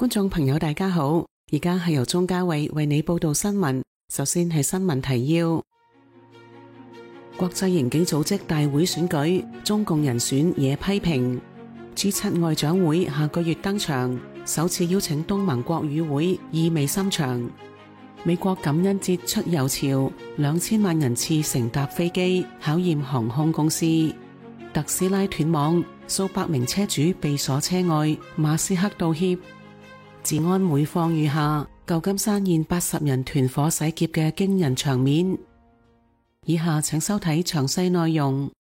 觀眾朋友大家好，而家係由鍾嘉慧為你報道新聞。首先係新聞提要：國際刑警組織大會選舉，中共人選惹批評。G7 外長會下個月登場，首次邀請東盟國與會，意味深長。美國感恩節出遊潮，2000萬人次乘搭飛機，考驗航空公司。特斯拉斷網，數百名車主被鎖車外，馬斯克道歉。治安每況愈下，舊金山現80人團伙洗劫嘅驚人場面。以下請收睇詳細內容。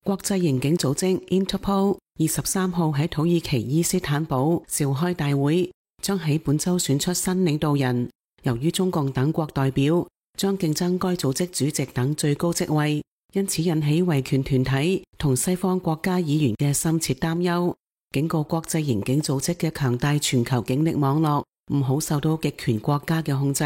國際刑警組織 Interpol 23號喺土耳其伊斯坦堡召開大會，將喺本周選出新領導人。由於中共等國代表將競爭該組織主席等最高職位，因此引起維權團體同西方國家議員嘅深切擔憂，警告國際刑警組織嘅強大全球警力網絡唔好受到極權國家嘅控制。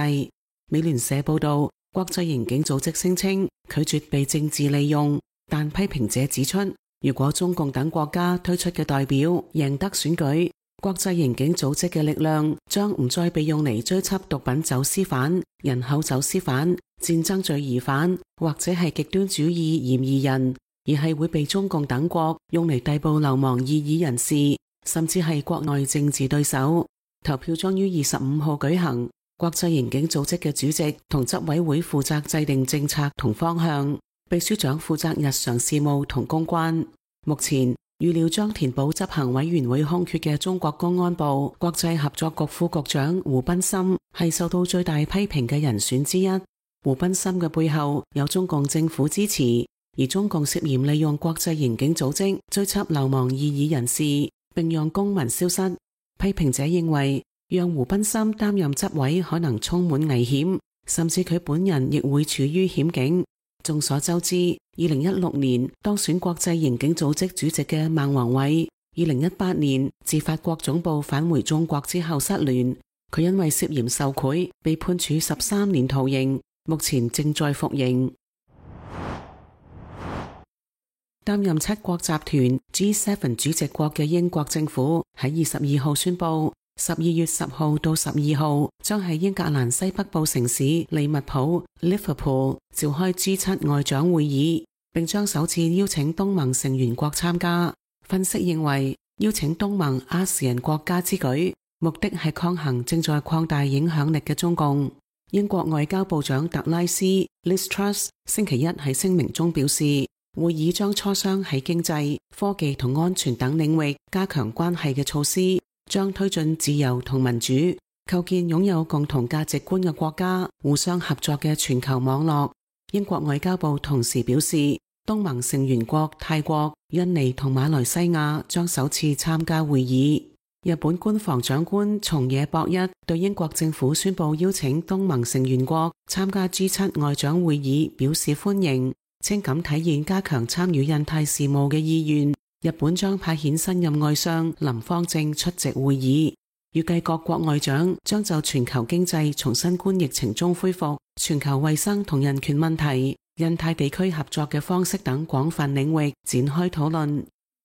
美聯社報道，國際刑警組織聲稱拒絕被政治利用，但批評者指出，如果中共等國家推出嘅代表贏得選舉，國際刑警組織嘅力量將唔再被用嚟追緝毒品走私犯、人口走私犯、戰爭罪疑犯或者係極端主義嫌疑人，而係會被中共等國用嚟逮捕流亡異議人士，甚至係國內政治對手。投票將於25號舉行，國際刑警組織嘅主席同執委會負責制定政策同方向，秘書長負責日常事務同公關。目前預料將填補執行委員會空缺嘅中國公安部國際合作局副局長胡斌森係受到最大批評嘅人選之一。胡斌森嘅背後有中共政府支持，而中共涉嫌利用國際刑警組織追緝流亡異議人士，並讓公民消失。批評者認為，讓胡斌森擔任執委可能充滿危險，甚至佢本人亦會處於險境。眾所周知，2016年當選國際刑警組織主席嘅孟宏偉，2018年自法國總部返回中國之後失聯，佢因為涉嫌受賄被判處13年徒刑，目前正在服刑。擔任七國集團 G7 主席國嘅英國政府喺22號宣布，12月10號到12號將喺英格蘭西北部城市利物浦 Liverpool 召開 G7 外長會議，並將首次邀請東盟成員國參加。分析認為，邀請東盟亞視人國家之舉，目的係抗衡正在擴大影響力嘅中共。英國外交部長特拉斯 Liz Truss 星期一喺聲明中表示，會議將磋商喺經濟、科技同安全等領域加強關係嘅措施，將推進自由同民主，構建擁有共同價值觀嘅國家互相合作嘅全球網絡。英國外交部同時表示，東盟成員國泰國、印尼同馬來西亞將首次參加會議。日本官房長官松野博一對英國政府宣布邀請東盟成員國參加 G7 外長會議表示歡迎，稱咁體現加強參與印太事務嘅意願。日本將派遣新任外相林芳正出席會議，預計各國外長將就全球經濟從新冠疫情中恢復、全球衛生同人權問題、印太地區合作嘅方式等廣泛領域展開討論。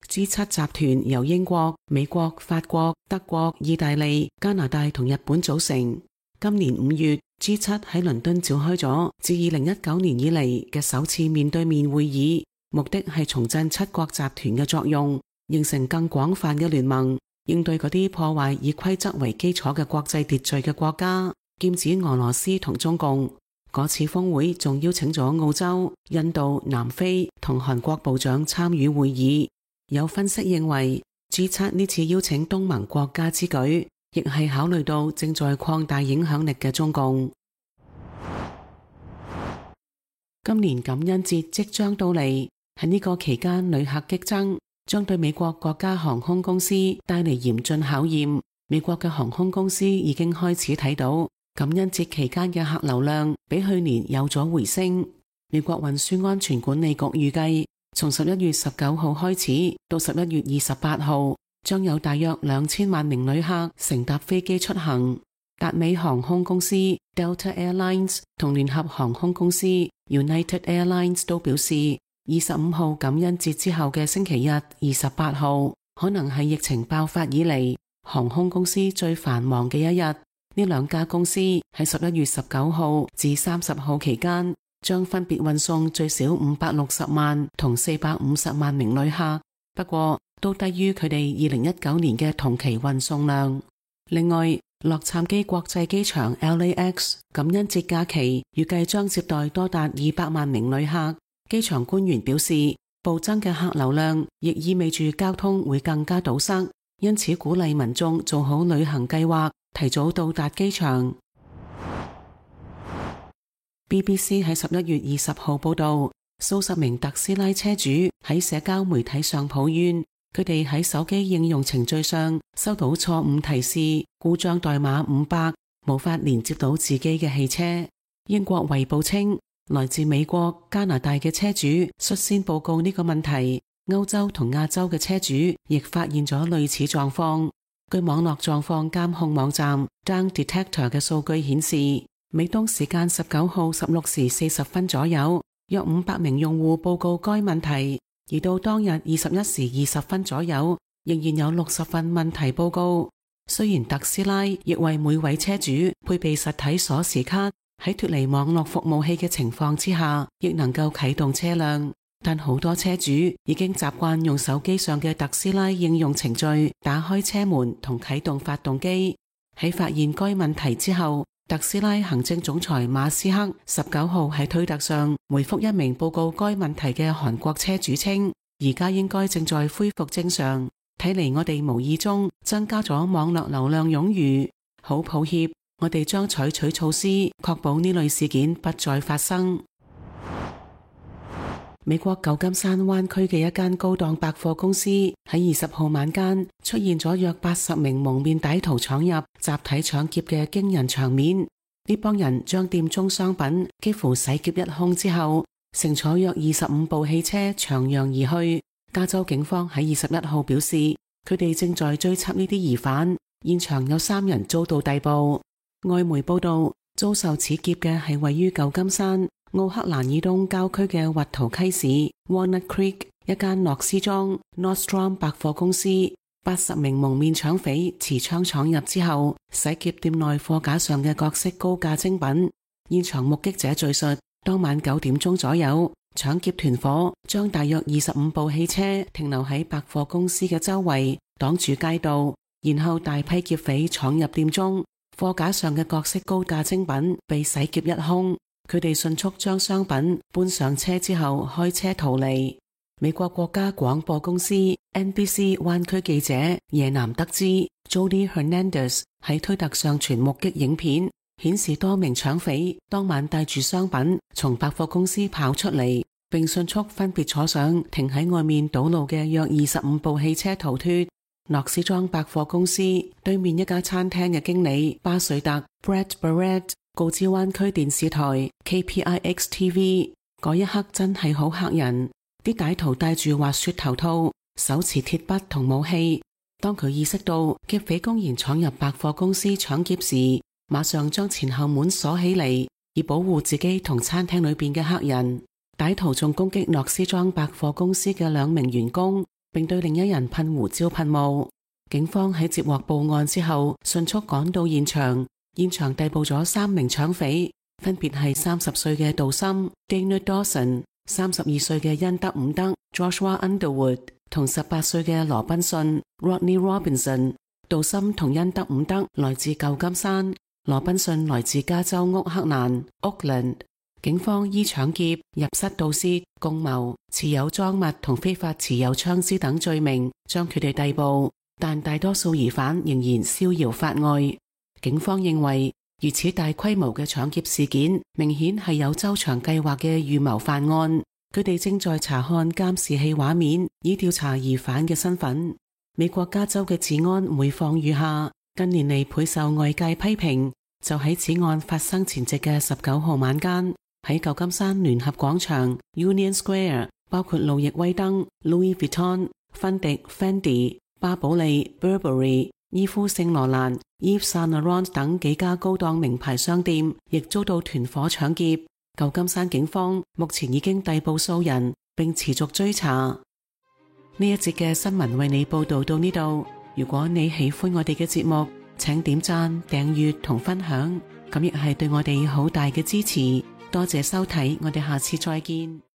G7 集團由英國、美國、法國、德國、意大利、加拿大同日本組成。今年5月，G7 喺倫敦召開咗自2019年以嚟嘅首次面對面會議，目的係重振七國集團嘅作用，形成更廣泛嘅聯盟，應對嗰啲破壞以規則為基礎嘅國際秩序嘅國家，劍指俄羅斯同中共。嗰次峰會仲邀請咗澳洲、印度、南非同韓國部長參與會議。有分析認為， G7 呢次邀請東盟國家之舉，亦係考慮到正在擴大影響力嘅中共。今年感恩節即將到嚟，喺呢個期間旅客激增，將對美國國家航空公司帶嚟嚴峻考驗。美國嘅航空公司已經開始睇到感恩節期間嘅客流量比去年有咗回升。美國運輸安全管理局預計，從11月19號開始到11月28號，將有大約2000萬名旅客乘搭飛機出行。達美航空公司 Delta Airlines 同聯合航空公司 United Airlines 都表示，25號感恩節之後嘅星期日28號，可能係疫情爆發以嚟航空公司最繁忙嘅一日。呢兩家公司喺11月19號至30號期間，將分別運送最少560萬同450萬名旅客，不過都低於佢哋2019年嘅同期運送量。另外，洛杉磯國際機場 LAX 感恩節假期預計將接待多達200萬名旅客。機場官員表示，暴增嘅客流量亦意味住交通會更加堵塞，因此鼓勵民眾做好旅行計劃，提早到達機場。BBC 喺11月20號報道，數十名特斯拉車主喺社交媒體上抱怨，佢哋喺手機應用程序上收到錯誤提示，故障代碼500，無法連接到自己嘅汽車。英國衛報稱，來自美國、加拿大嘅車主率先報告呢個問題，歐洲同亞洲嘅車主亦發現咗類似狀況。據網絡狀況監控網站 Down Detector 嘅數據顯示，美東時間19號16時40分左右，約500名用戶報告該問題，而到當日21時20分左右，仍然有60份問題報告。雖然特斯拉亦為每位車主配備實體鎖匙卡，喺脫離網絡服務器嘅情況之下，亦能夠啟動車輛，但好多車主已經習慣用手機上嘅特斯拉應用程序打開車門同啟動發動機。喺發現該問題之後，特斯拉行政總裁馬斯克19號喺推特上回覆一名報告該問題嘅韓國車主稱，而家應該正在恢復正常，睇嚟我哋無意中增加咗網絡流量冗餘，好抱歉，我哋將採取措施確保呢類事件不再發生。美國舊金山灣區嘅一間高檔百貨公司喺20號晚間出現咗約80名蒙面歹徒闖入集體搶劫嘅驚人場面。呢幫人將店中商品幾乎洗劫一空之後，乘坐約25部汽車長揚而去。加州警方喺21號表示，佢哋正在追緝呢啲疑犯，現場有3人遭到逮捕。外媒報道，遭受此劫嘅係位於舊金山奧克蘭以東郊區嘅滑圖溪市 Walnut Creek 一間諾斯莊 Nordstrom 百貨公司。80名蒙面搶匪持槍闖入之後，洗劫店內貨架上嘅各式高價精品。現場目擊者敘述，當晚9點鐘左右，搶劫團伙將大約25部汽車停留喺百貨公司嘅周圍，擋住街道，然後大批劫匪闖入店中，貨架上嘅各式高價精品被洗劫一空。佢哋迅速將商品搬上車之後開車逃離。美國國家廣播公司 NBC 灣區記者耶南得知 Jody Hernandez 喺推特上傳目擊影片，顯示多名搶匪當晚帶住商品從百貨公司跑出嚟，並迅速分別坐上停喺外面堵路嘅約25部汽車逃脫。諾斯莊百貨公司對面一家餐廳嘅經理巴瑞特 Brett Barrett 告知灣區電視台 KPIX TV， 嗰一刻真係好嚇人。啲歹徒戴住滑雪頭套，手持鐵筆同武器。當佢意識到劫匪公然闖入百貨公司搶劫時，馬上將前後門鎖起嚟，以保護自己同餐廳裏邊嘅客人。歹徒仲攻擊諾斯莊百貨公司嘅2名員工，並對另一人噴胡椒噴霧。警方喺接獲報案之後，迅速趕到現場，逮捕咗3名搶匪，分別係30歲嘅杜森 Dana Dawson、32歲嘅恩德伍德 Joshua Underwood 同18歲嘅羅賓遜 Rodney Robinson。杜森同恩德伍德來自舊金山，羅賓遜來自加州奧克蘭 Oakland。警方依搶劫、入室盜竊、共謀、持有贓物同非法持有槍支等罪名將佢哋逮捕，但大多數疑犯仍然逍遙法外。警方認為，如此大規模嘅搶劫事件明顯係有周詳計劃嘅預謀犯案。佢哋正在查看監視器畫面，以調查疑犯嘅身份。美國加州嘅治安每況愈下，近年嚟倍受外界批評。就喺此案發生前夕嘅19號晚間，喺舊金山聯合廣場 Union Square， 包括路易威登 Louis Vuitton、芬迪 Fendi、巴寶莉 Burberry、伊夫聖羅蘭 Yves Saint Laurent 等幾家高檔名牌商店亦遭到團伙搶劫。舊金山警方目前已經逮捕數人，並持續追查。呢一節嘅新聞為你報道到呢度，如果你喜歡我哋嘅節目，請點讚、訂閱同分享，咁亦係對我哋好大嘅支持。多謝收睇，我哋下次再見。